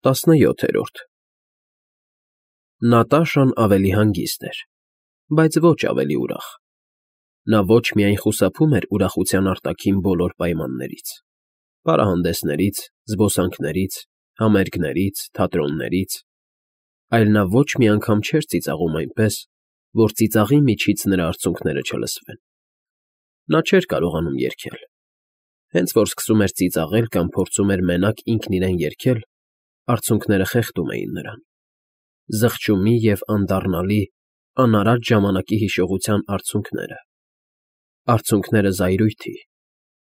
17-րդ Նատաշան ավելի հանգիստ էր, բայց ոչ ավելի ուրախ. նա ոչ միայն խուսափում էր ուրախության արտաքին բոլոր պայմաններից. պարահանդեսներից, զբոսանքներից, համերգներից, թատրոններից, այլ նա ոչ մի անգամ չէր ծիծաղում այնպես, որ ծիծաղի միջից նրա արցունքները չլսվեն. նա չէր կարողանում երգել. հենց որ սկսում էր ծիծաղել կամ փորձում էր մենակ ինքն իրեն երգել, արցունքները խեղդում էին նրան. զղջումի և անդառնալի, անարատ ժամանակի հիշողության արցունքները զայրույթի,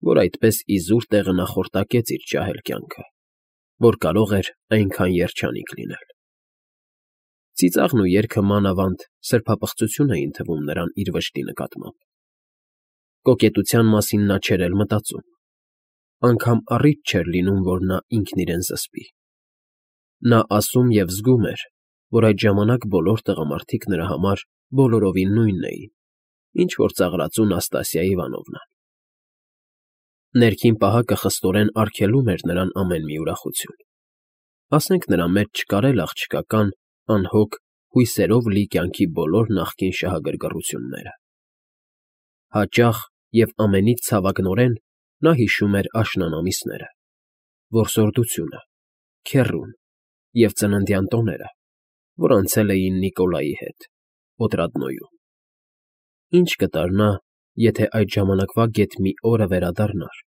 որ այդպես իզուր տեղը նախորտակեց իր ջահել կյանքը, որ կարող էր այնքան երջանիկ լինել. Ծիծաղն ու երգը մանավանդ սրբապղծություն էին թվում նրան իր վշտի նկատմամբ. կոկետության մասին նա չէր էլ մտածում, անգամ առիթ չէր լինում, որ նա ինքն իրեն զսպի. նա ասում և զգում էր, որ այդ ժամանակ բոլոր տղամարդիկ նրա համար բոլորովին նույնն էին, ինչ որ ծաղրածու Նաստասիա Իվանովնան. ներքին պահակը խստորեն արգելում էր նրան ամեն մի ուրախություն, ասենք նրա մեջ չկար էլ աղջկական, անհոգ հույսերով լի կյանքի բոլոր նախկին շահագրգռությունները. հաճախ և ամենից ցավագնորեն նա հիշում էր աշնան ամիսները, որսորդությունը, քեռուն և ծննդյան տոները, որ անցել էին Նիկոլայի հետ, Օտրադնոյում. ինչ կտար նա, եթե այդ ժամանակվա գեթ մի օրը վերադառնար,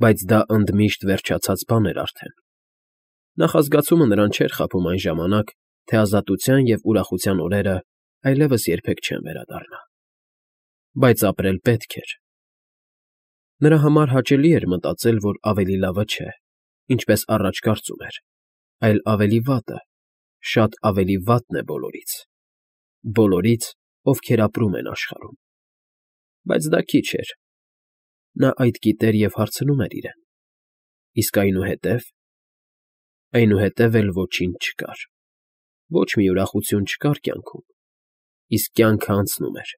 բայց դա ընդմիշտ վերջացած բան էր արդեն. նախազգացումը նրան չէր խաբում այն ժամանակ, թե ազատության և ուրախության օրերը այլևս երբեք չեն վերադառնա. բայց ապրել պետք էր. նրա համար հաճելի էր մտածել, որ ավելի լավը չէ, ինչպես առաջ կարծում էր, այլ ավելի վատը, շատ ավելի վատն է բոլորից, ովքեր ապրում են աշխարհում. բայց դա քիչ էր. նա այդ գիտեր և հարցնում էր իրեն. իսկ այնուհետև էլ ոչինչ չկար, ոչ մի ուրախություն չկար կյանքում, իսկ կյանքն անցնում էր.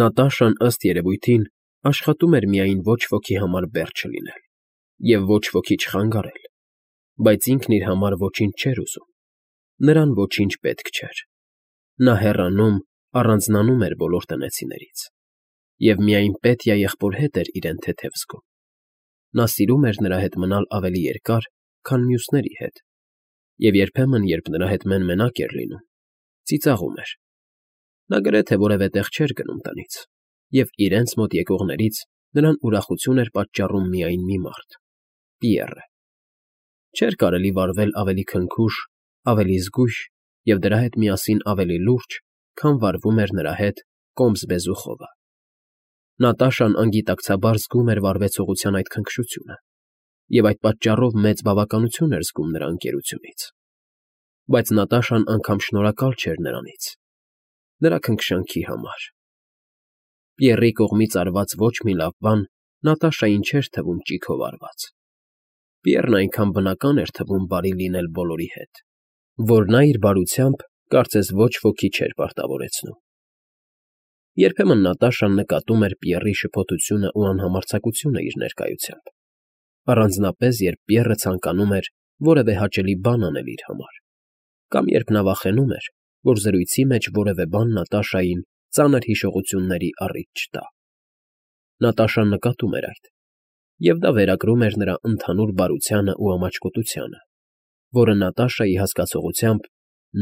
Նատաշան, ըստ երևույթին, աշխատում էր միայն ոչ ոքի համար բեռ չլինել և ոչ ոքի չխանգարել, բայց ինքն իր համար ոչինչ չէր ուզում, նրան ոչինչ պետք չէր. նա հեռանում, առանձնանում էր բոլոր տնեցիներից և միայն Պետիա եղբոր հետ էր իրեն թեթև զգում. նա սիրում էր նրա հետ մնալ ավելի երկար, քան մյուսների հետ, և երբեմն, երբ նրա հետ մեն֊մենակ էր լինում, ծիծաղում էր. նա գրեթե որևէ տեղ չէր գնում տնից, և իրենց մոտ եկողներից նրան ուրախություն էր պատճառում միայն մի մարդ՝ Պիեռը. չէր կարելի վարվել ավելի քնքուշ, ավելի զգույշ և դրա հետ միասին ավելի լուրջ, քան վարվում էր նրա հետ Կոմս Բեզուխովը. Նատաշան անգիտակցաբար զգում էր վարվեցողության այդ քնքշությունը և այդ պատճառով մեծ բավականություն էր զգում նրա ընկերությունից, բայց Նատաշան անգամ շնորհակալ չէր նրանից, նրա քնքշանքի համար. Պիեռի կողմից արված ոչ մի լավ բան Նատաշային չէր թվում ճիգով արված. Պիեռն այնքան բնական էր թվում բարի լինել բոլորի հետ, որ նա իր բարությամբ կարծես ոչ ոքի չէր պարտավորեցնում. երբեմն Նատաշան նկատում էր Պիեռի շփոթությունն ու անհամարձակությունը իր ներկայությամբ, առանձնապես երբ Պիեռը ցանկանում էր որևէ հաճելի բան անել իր համար, կամ երբ նա վախենում էր, որ զրույցի մեջ որևէ բան Նատաշային ծանր հիշողությունների առիթ չտա. Նատաշան նկատում էր այդ, և դա վերագրում էր նրա ընդհանուր բարությանը ու ամաչկոտությանը, որը Նատաշայի հասկացողությամբ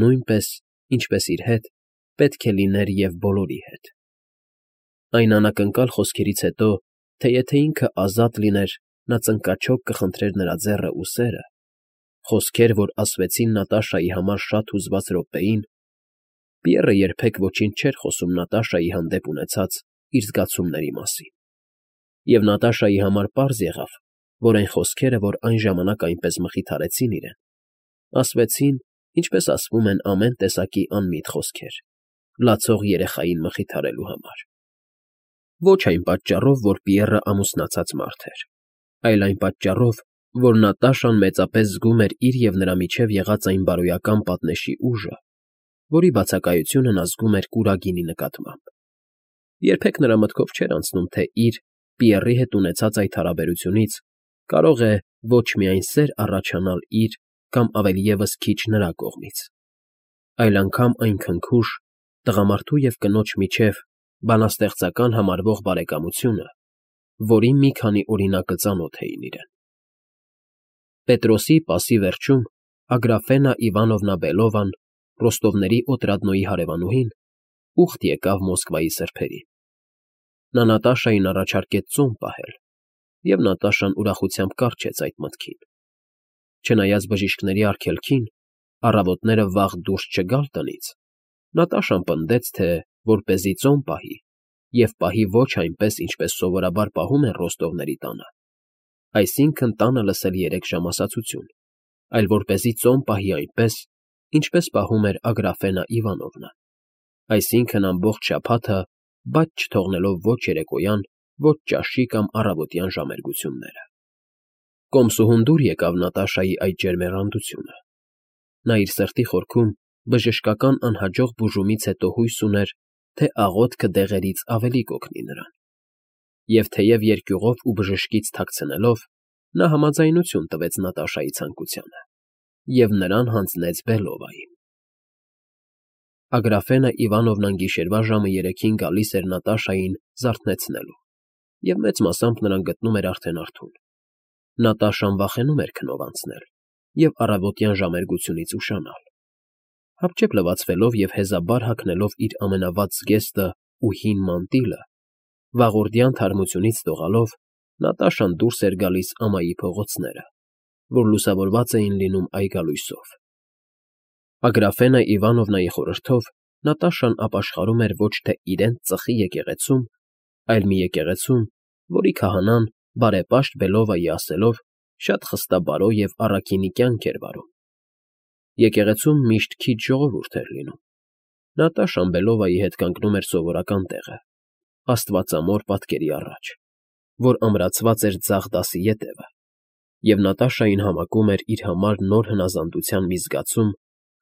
նույնպես, ինչպես իր հետ, պետք է լիներ և բոլորի հետ. այն անակնկալ խոսքերից հետո, թե եթե ինքը ազատ լիներ, նա ծնկաչոք կխնդրեր նրա ձեռն ու սերը, խոսքեր, որ ասվեցին Նատաշայի համար շատ հուզված րոպեին, Պիեռը երբեք ոչինչ չէր խոսում Նատաշայի հանդեպ ունեցած իր զգացումների մասին, և Նատաշայի համար պարզ եղավ, որ այն խոսքերը, որ այն ժամանակ այնպես մխիթարեցին իրեն, ասվեցին, ինչպես ասվում են ամեն տեսակի անմիտ խոսքեր, լացող երեխային մխիթարելու համար. ոչ այն պատճառով, որ Պիեռը ամուսնացած մարդ էր, այլ այն պատճառով, որ Նատաշան մեծապես զգում էր իր և նրա միջև եղած այն բարոյական պատնեշի ուժը, որի բացակայությունը նա զգում էր կուրագինի նկատմամբ. երբեք նրա մտքով չէր անցնում, թե իր՝ Պիեռի հետ ունեցած այդ հարաբերությունից կարող է ոչ միայն սեր առաջանալ իր կամ ավելի ևս քիչ նրա կողմից, այլ անգամ այն քնքուշ, տղամարդու և կնոջ միջև բանաստեղծական համարվող բարեկամությունը, որի մի քանի օրինակը ծանոթ էին իրեն։ Պետրոսի պասի վերջում Ագրաֆենա Իվանովնա Բելովան, Ռոստովների Օտրադնոյի հարևանուհին, ուխտ եկավ Մոսկվայի սրբերին։ Նա Նատաշային առաջարկեց ծոմ պահել, և Նատաշան ուրախությամբ կառչեց այդ մտքին։ Չնայած բժիշկների արգելքին, առավոտները վաղ դուրս չգալ տնից, Նատաշան պնդեց, թե որպեսզի ծոմ պահի, և պահի ոչ այնպես, ինչպես սովորաբար պահում են Ռոստովների տանը, այսինքն տանը լսել 3 ժամ ասացություն, այլ որպեսզի ծոմ պահի այնպես, ինչպես պահում էր Ագրաֆենա Իվանովնան, այսինքն ամբողջ շաբաթը բաց չթողնելով ոչ երեկոյան, ոչ ճաշի կամ առավոտյան ժամերգությունները։ Կոմսուհուն դուր եկավ Նատաշայի այդ ջերմեռանդությունը։ Նա իր սրտի խորքում բժշկական անհաջող բուժումից հետո հույս ուներ, թե աղոթքը դեղերից ավելի կօգնի նրան։ Եվ թեև երկյուղով ու բժշկից թաքցնելով, նա համաձայնություն տվեց Նատաշայի ցանկությանը և նրան հանձնեց Բելովային։ Ագրաֆենա Իվանովնան գիշերվա ժամը 3-ին գալիս էր Նատաշային զարթնեցնելու, և մեծ մասամբ նրան գտնում էր արդեն արթուն։ Նատաշան վախենում էր քնով անցնել և առավոտյան ժամերգությունից ուշանալ։ Հապճեպ լվացվելով և հեզաբար հագնելով իր ամենավատ զգեստը ու հին մանտիլը, վաղորդյան թարմությունից դողալով, Նատաշան դուրս էր գալիս ամայի փողոցները, որ լուսավորված էին լինում այգալույսով։ Ագրաֆենա Իվանովնայի խորհրդով Նատաշան ապաշխարում էր ոչ թե իրենց ծխի եկեղեցում, այլ մի եկեղեցում, որի քահանան, բարեպաշտ Բելովայի ասելով, շատ խստաբարո և առաքինի կյանք էր վարում։ Եկեղեցում միշտ քիչ ժողովուրդ էր լինում։ Նատաշան Բելովայի հետ կանգնում էր սովորական տեղը, աստվածամոր պատկերի առաջ, որ ամրացված էր ձախ դասի ետևը, և Նատաշային համակում էր իր համար նոր հնազանդության մի զգացում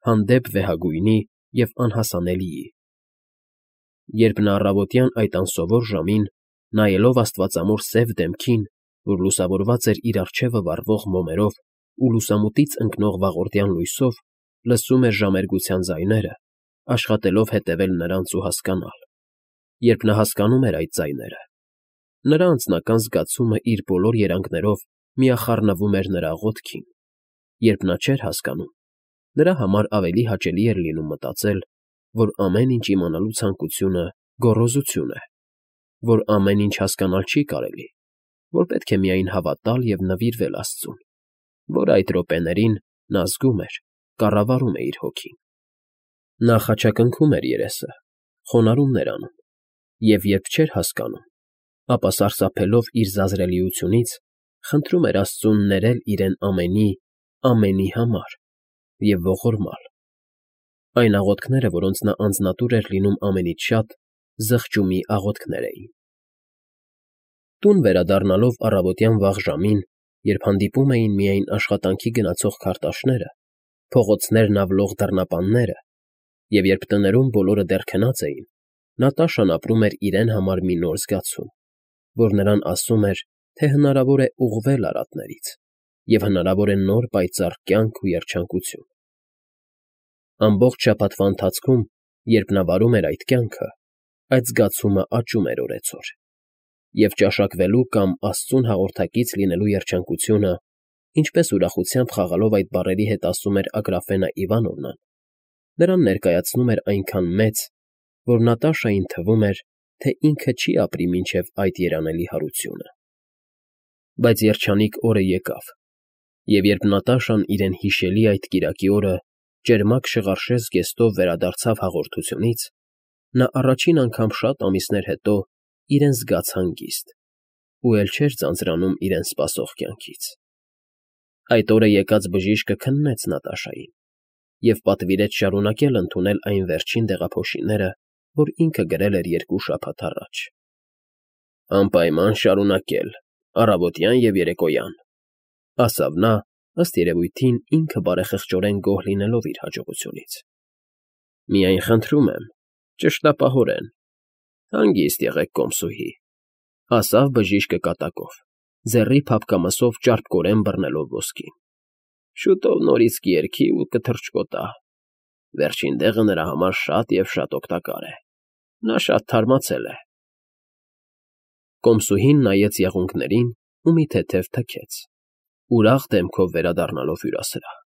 հանդեպ վեհագույնի և անհասանելիի։ Երբ նա առավոտյան այդ անսովոր ժամին, նայելով աստվածամոր սև դեմքին, որ լուսավորված էր իր առջևը վառվող մոմերով ու լուսամուտից ընկնող վաղորդյան լույսով, լսում էր ժամերգության ձայները, աշխատելով հետևել նրանց ու հասկանալ։ Երբ նա հասկանում էր այդ ձայները, նրա անձնական զգացումը իր բոլոր երանգներով միախառնվում էր նրա աղոթքին։ Երբ նա չէր հասկանում, նրա համար ավելի հաճելի էր լինում մտածել, որ ամեն ինչ իմանալու ցանկությունը գոռոզություն է, որ ամեն ինչ հասկանալ չի կարելի, որ պետք է միայն հավատալ և նվիրվել Աստծուն, որ այդ րոպեներին նա զգում էր, կառավարում է իր հոգին։ Նա խաչակնքում էր երեսը, խոնարհումներ անում, և երբ չէր հասկանում, ապա սարսափելով իր զազրելիությունից, խնդրում էր Աստծուն ներել իրեն ամենի համար և ողորմալ։ Այն աղոթքները, որոնց նա անձնատուր էր լինում ամենից շատ, զղջումի աղոթքներ էին։ Տուն վերադառնալով առավոտյան վաղ ժամին, երբ հանդիպում էին միայն աշխատանքի գնացող քարտաշները, փողոցներն ավլող դռնապանները, և երբ տներում բոլորը դեռ քնած էին, Նատաշան ապրում էր իրեն համար մի նոր զգացում, որ նրան ասում էր, թե հնարավոր է ուղղվել արատներից, և հնարավոր է նոր պայծառ կյանք ու երջանկություն։ Ամբողջ շաբաթվա ընթացքում, երբ նա վարում էր այդ կյանքը, այդ զգացումը աճում էր օրեցօր, և ճաշակվելու կամ Աստծուն հաղորդակից լինելու երջանկությունը, ինչպես ուրախությամբ խաղալով այդ բառերի հետ ասում էր Ագրաֆենա Իվանովնան, նրան ներկայացնում էր այնքան մեծ, որ Նատաշային թվում էր, թե ինքը չի ապրի մինչև այդ երանելի հարությունը։ Բայց երջանիկ օրը եկավ, և երբ Նատաշան իրեն հիշելի այդ կիրակի օրը ճերմակ շղարշե զգեստով վերադարձավ հաղորդությունից, նա առաջին անգամ շատ ամիսներ հետո իրեն զգաց հանգիստ ու էլ չէր ձանձրանում իրեն սպասող կյանքից։ Այդ օրը եկած բժիշկը քննեց Նատաշային և պատվիրեց շարունակել ընդունել այն վերջին դեղափոշիները, որ ինքը գրել էր 2 շաբաթ առաջ։ «Անպայման շարունակել, առավոտյան և երեկոյան», ֊ ասավ նա, ըստ երևույթին ինքը բարեխղճորեն գոհ լինելով իր հաջողությունից։ «Միայն խնդրում եմ, ճշտապահորեն, հանգիստ եղեք, կոմսուհի», ֊ ասավ բժիշկը կատակով, ձեռի փափկամսով ճարպկորեն բռնելով ոսկին։ Շուտով նորից կերքի ու կթռչկոտա։ Վերջին դեղը նրա համար շատ և շատ օգտակար է։ Նա շատ թարմացել է։ Կոմսուհին նայեց եղունգներին ու մի թեթև թքեց, ուրախ դեմքով վերադառնալով հյուրասրահ։